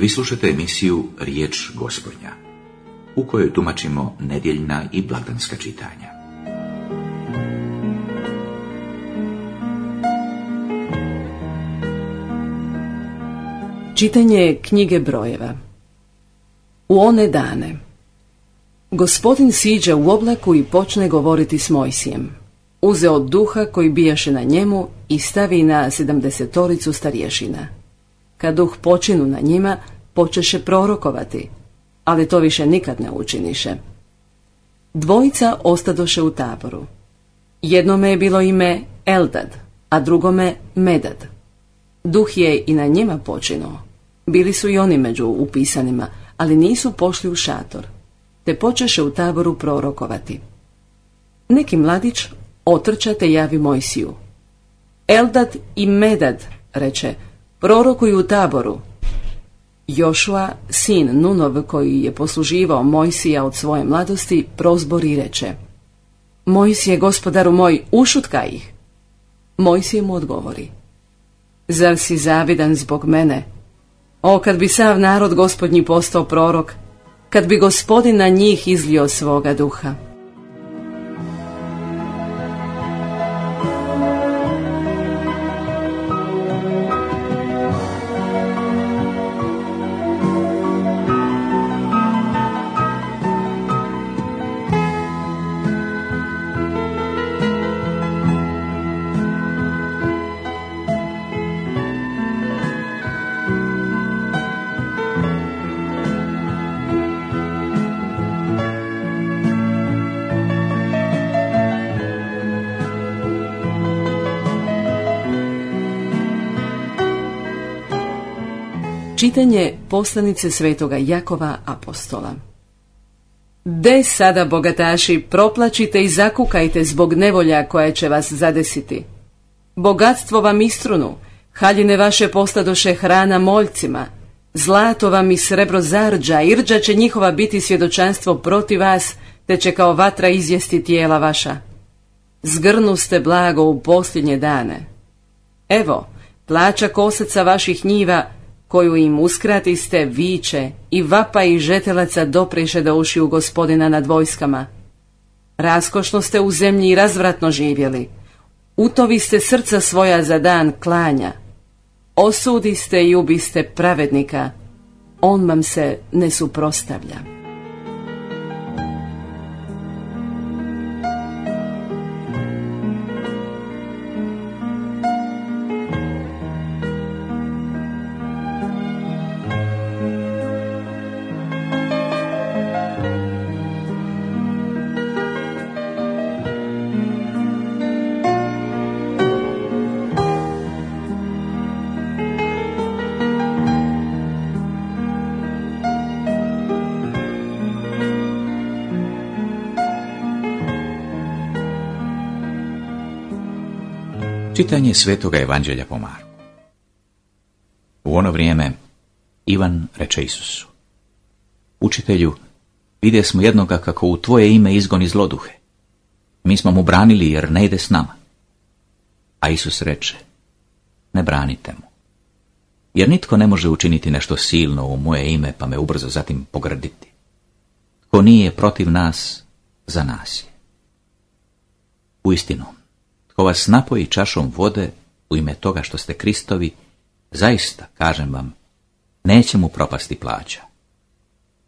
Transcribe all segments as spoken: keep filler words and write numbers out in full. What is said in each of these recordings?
Vi slušate emisiju Riječ Gospodnja, u kojoj tumačimo nedjeljna i blagdanska čitanja. Čitanje knjige Brojeva. U one dane Gospodin siđe u oblaku i počne govoriti s Mojsijem. Uzeo duha koji bijaše na njemu i stavi na sedamdesetoricu starješina. Kad duh počinu na njima, počeše prorokovati, ali to više nikad ne učiniše. Dvojica ostadoše u taboru. Jednome je bilo ime Eldad, a drugome Medad. Duh je i na njima počinuo. Bili su i oni među upisanima, ali nisu pošli u šator, te počeše u taboru prorokovati. Neki mladić otrča te javi Mojsiju. Eldad i Medad, reče, prorokuju u taboru. Jošua, sin Nunov, koji je posluživao Mojsija od svoje mladosti, prozbori i reče: Mojsije, gospodaru moj, ušutkaj ih. Mojsije mu odgovori: Zar si zavidan zbog mene? O, kad bi sav narod gospodnji postao prorok, kad bi Gospodin na njih izlio svoga duha. Čitanje poslanice svetoga Jakova apostola. De sada, bogataši, proplačite i zakukajte zbog nevolja koja će vas zadesiti. Bogatstvo vam istrunu, haljine vaše postadoše hrana moljcima, zlato vam i srebro zarđa, irđa će njihova biti svjedočanstvo protiv vas, te će kao vatra izjesti tijela vaša. Zgrnu ste blago u posljednje dane. Evo, plaća kosaca vaših njiva, koju im uskratiste, viče, i vapa i žetelaca dopriše do ušiju Gospodina nad vojskama. Raskošno ste u zemlji i razvratno živjeli. Utovi ste srca svoja za dan klanja. Osudiste i ubiste pravednika. On vam se ne suprotstavlja. Čitanje Svetoga Evanđelja po Marku. U ono vrijeme Ivan reče Isusu: Učitelju, vidje smo jednoga kako u tvoje ime izgoni zloduhe. Mi smo mu branili jer ne ide s nama. A Isus reče: Ne branite mu, jer nitko ne može učiniti nešto silno u moje ime pa me ubrzo zatim pogrditi. Tko nije protiv nas, za nas je. Uistinu, tko vas napoji čašom vode u ime toga što ste Kristovi, zaista, kažem vam, neće mu propasti plaća.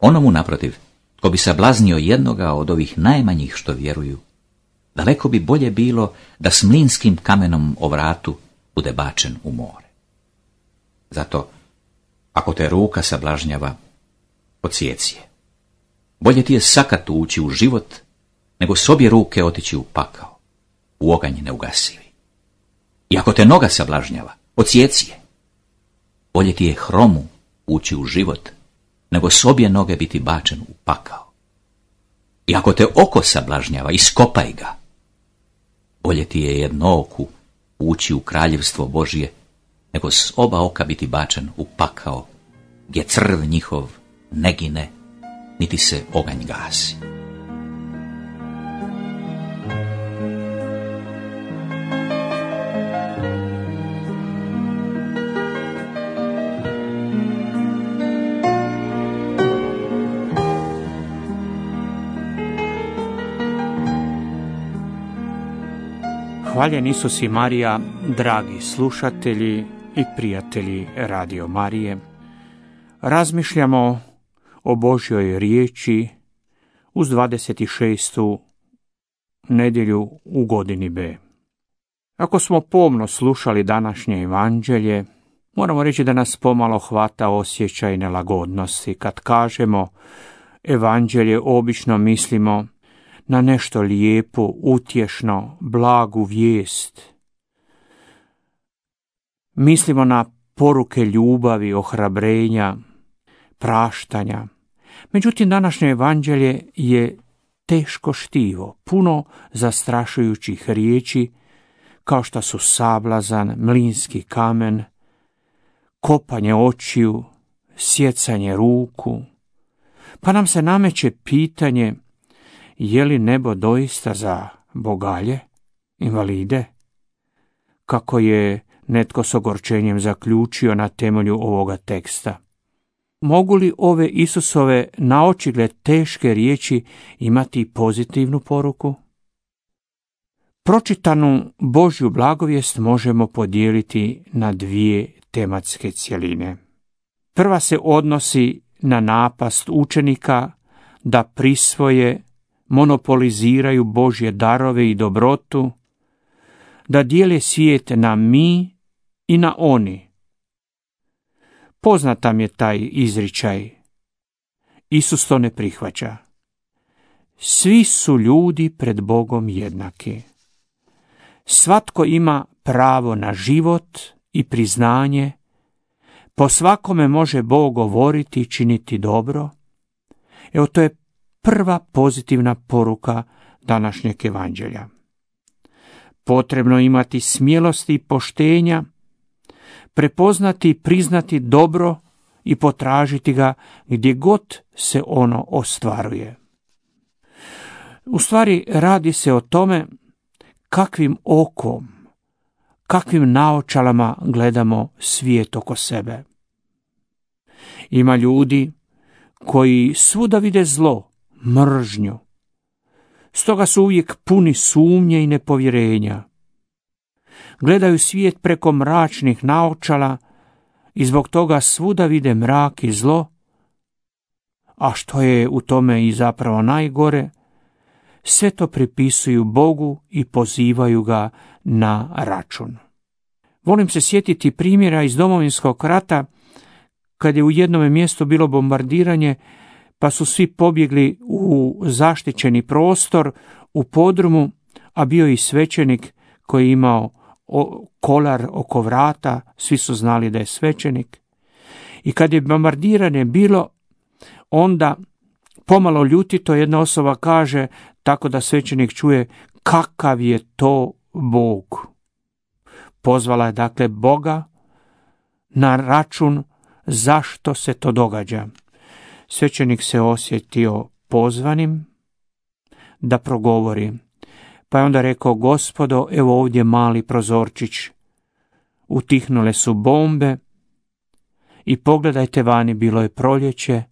Onomu naprotiv, tko bi sablaznio jednoga od ovih najmanjih što vjeruju, daleko bi bolje bilo da s mlinskim kamenom o vratu bude bačen u more. Zato, ako te ruka sablažnjava, odsjeci je. Bolje ti je sakat ući u život, nego s obje ruke otići u pakao, u oganj neugasivi. I ako te noga sablažnjava, odsjeci je. Bolje ti je hromu ući u život, nego s obje noge biti bačen u pakao. I ako te oko sablažnjava, iskopaj ga. Bolje ti je jednooku ući u kraljevstvo Božje, nego s oba oka biti bačen u pakao, gdje crv njihov ne gine, niti se oganj gasi. Hvaljen Isus i Marija, dragi slušatelji i prijatelji Radio Marije. Razmišljamo o Božjoj riječi uz dvadeset šestu nedjelju u godini B. Ako smo pomno slušali današnje evanđelje, moramo reći da nas pomalo hvata osjećaj nelagodnosti. Kad kažemo evanđelje, obično mislimo na nešto lijepo, utješno, blagu vijest. Mislimo na poruke ljubavi, ohrabrenja, praštanja. Međutim, današnje evanđelje je teško štivo, puno zastrašujućih riječi, kao što su sablazan, mlinski kamen, kopanje očiju, sjecanje ruku. Pa nam se nameće pitanje, je li nebo doista za bogalje, invalide? Kako je netko s ogorčenjem zaključio na temelju ovoga teksta. Mogu li ove Isusove naočigled teške riječi imati pozitivnu poruku? Pročitanu Božju blagovijest možemo podijeliti na dvije tematske cjeline. Prva se odnosi na napast učenika da prisvoje, monopoliziraju Božje darove i dobrotu, da dijele svijet na mi i na oni. Poznat nam je taj izričaj. Isus to ne prihvaća. Svi su ljudi pred Bogom jednaki. Svatko ima pravo na život i priznanje. Po svakome može Bog govoriti i činiti dobro. Evo, to je prva pozitivna poruka današnjeg evanđelja. Potrebno imati smjelosti i poštenja, prepoznati i priznati dobro i potražiti ga gdje god se ono ostvaruje. U stvari radi se o tome kakvim okom, kakvim naočalama gledamo svijet oko sebe. Ima ljudi koji svuda vide zlo, mržnju. Stoga su uvijek puni sumnje i nepovjerenja. Gledaju svijet preko mračnih naočala i zbog toga svuda vide mrak i zlo, a što je u tome i zapravo najgore, sve to pripisuju Bogu i pozivaju ga na račun. Volim se sjetiti primjera iz Domovinskog rata, kad je u jednom mjestu bilo bombardiranje, pa su svi pobjegli u zaštićeni prostor, u podrumu, a bio i svećenik koji je imao kolar oko vrata, svi su znali da je svećenik. I kad je bombardiranje bilo, onda pomalo ljutito jedna osoba kaže, tako da svećenik čuje, kakav je to Bog. Pozvala je dakle Boga na račun zašto se to događa. Svećenik se osjetio pozvanim da progovori, pa je onda rekao, Gospodo, evo ovdje mali prozorčić, utihnule su bombe i pogledajte vani, bilo je proljeće,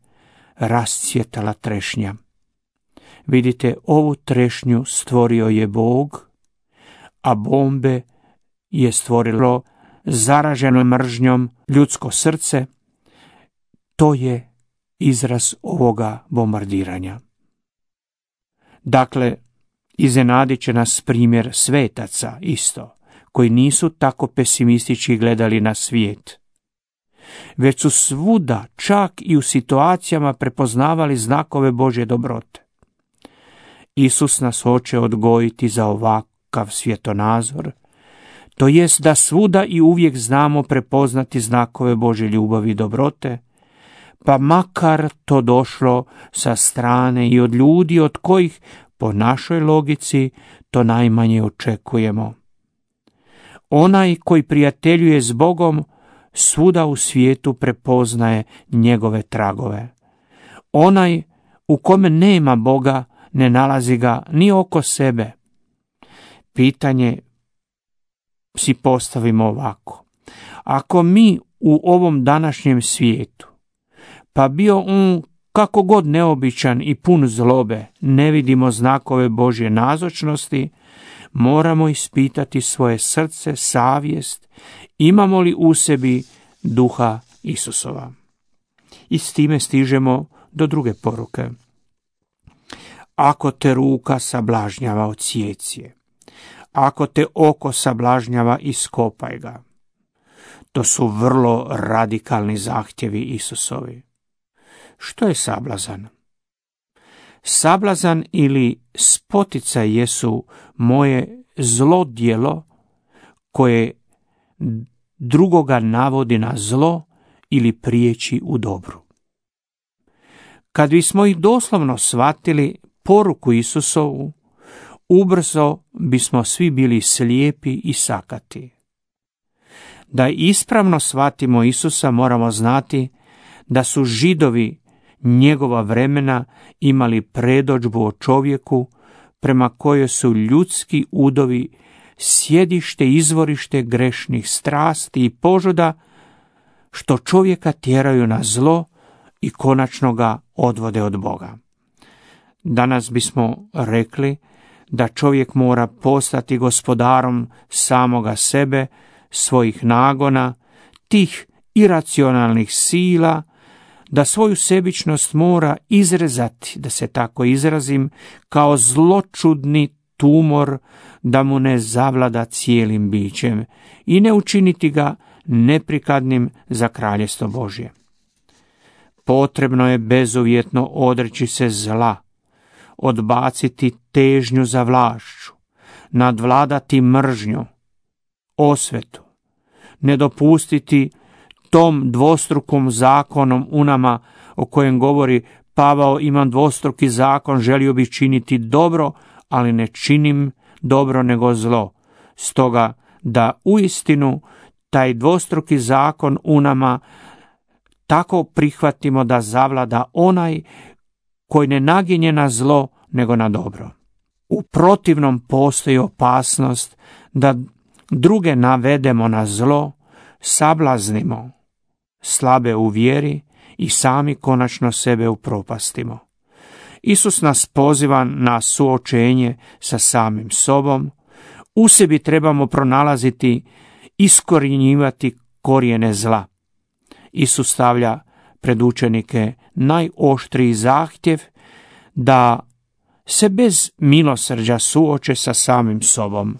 rascvjetala trešnja. Vidite, ovu trešnju stvorio je Bog, a bombe je stvorilo zaraženo mržnjom ljudsko srce. To je izraz ovoga bombardiranja. Dakle, iznenadit će nas primjer svetaca isto, koji nisu tako pesimistički gledali na svijet, već su svuda, čak i u situacijama, prepoznavali znakove Božje dobrote. Isus nas hoće odgojiti za ovakav svjetonazor, to jest da svuda i uvijek znamo prepoznati znakove Božje ljubavi i dobrote, pa makar to došlo sa strane i od ljudi od kojih po našoj logici to najmanje očekujemo. Onaj koji prijateljuje s Bogom svuda u svijetu prepoznaje njegove tragove. Onaj u kome nema Boga ne nalazi ga ni oko sebe. Pitanje si postavimo ovako. Ako mi u ovom današnjem svijetu, pa bio on kako god neobičan i pun zlobe, ne vidimo znakove Božje nazočnosti, moramo ispitati svoje srce, savjest, imamo li u sebi duha Isusova. I s time stižemo do druge poruke. Ako te ruka sablažnjava, odsjeci je. Ako te oko sablažnjava, iskopaj ga. To su vrlo radikalni zahtjevi Isusovi. Što je sablazan? Sablazan ili spoticaj jesu moje zlo djelo koje drugoga navodi na zlo ili priječi u dobru. Kad bismo ih doslovno shvatili poruku Isusovu, ubrzo bismo svi bili slijepi i sakati. Da ispravno shvatimo Isusa, moramo znati da su Židovi njegova vremena imali predodžbu o čovjeku prema kojoj su ljudski udovi sjedište, izvorište grešnih strasti i požuda, što čovjeka tjeraju na zlo i konačno ga odvode od Boga. Danas bismo rekli da čovjek mora postati gospodarom samoga sebe, svojih nagona, tih iracionalnih sila, da svoju sebičnost mora izrezati, da se tako izrazim, kao zločudni tumor, da mu ne zavlada cijelim bićem i ne učiniti ga neprikladnim za kraljestvo Božje. Potrebno je bezuvjetno odreći se zla, odbaciti težnju za vlašću, nadvladati mržnju, osvetu, ne dopustiti tom dvostrukom zakonom u nama o kojem govori Pavao, imam dvostruki zakon, želio bih činiti dobro, ali ne činim dobro nego zlo. Stoga da uistinu taj dvostruki zakon u nama tako prihvatimo da zavlada onaj koji ne naginje na zlo nego na dobro. U protivnom postoji opasnost da druge navedemo na zlo, sablaznimo, slabe u vjeri i sami konačno sebe upropastimo. Isus nas poziva na suočenje sa samim sobom. U sebi trebamo pronalaziti, iskorjenjivati korijene zla. Isus stavlja pred učenike najoštriji zahtjev da se bez milosrđa suoče sa samim sobom.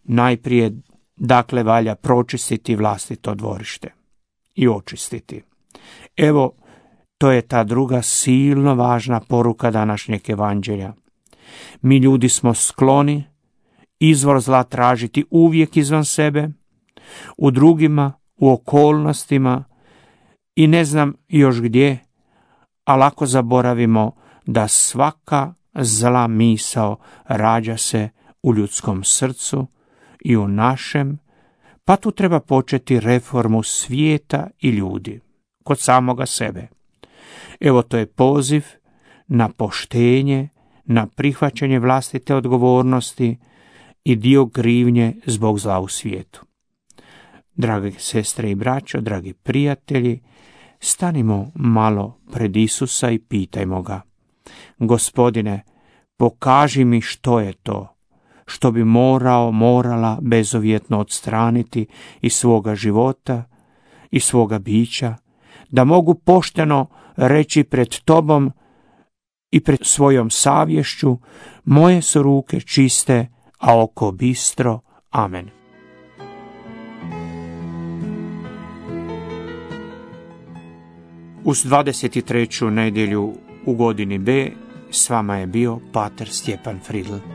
Najprije, dakle, valja pročistiti vlastito dvorište i očistiti. Evo, to je ta druga silno važna poruka današnjeg evanđelja. Mi ljudi smo skloni izvor zla tražiti uvijek izvan sebe, u drugima, u okolnostima i ne znam još gdje, a lako zaboravimo da svaka zla misao rađa se u ljudskom srcu i u našem, pa tu treba početi reformu svijeta i ljudi, kod samoga sebe. Evo, to je poziv na poštenje, na prihvaćanje vlastite odgovornosti i dio krivnje zbog zla u svijetu. Drage sestre i braćo, dragi prijatelji, stanimo malo pred Isusa i pitajmo ga: Gospodine, pokaži mi što je to što bi morao, morala bezuvjetno odstraniti iz svoga života i svoga bića, da mogu pošteno reći pred tobom i pred svojom savješću: moje su ruke čiste, a oko bistro. Amen. Uz dvadeset treću nedjelju u godini B s vama je bio pater Stjepan Fridl.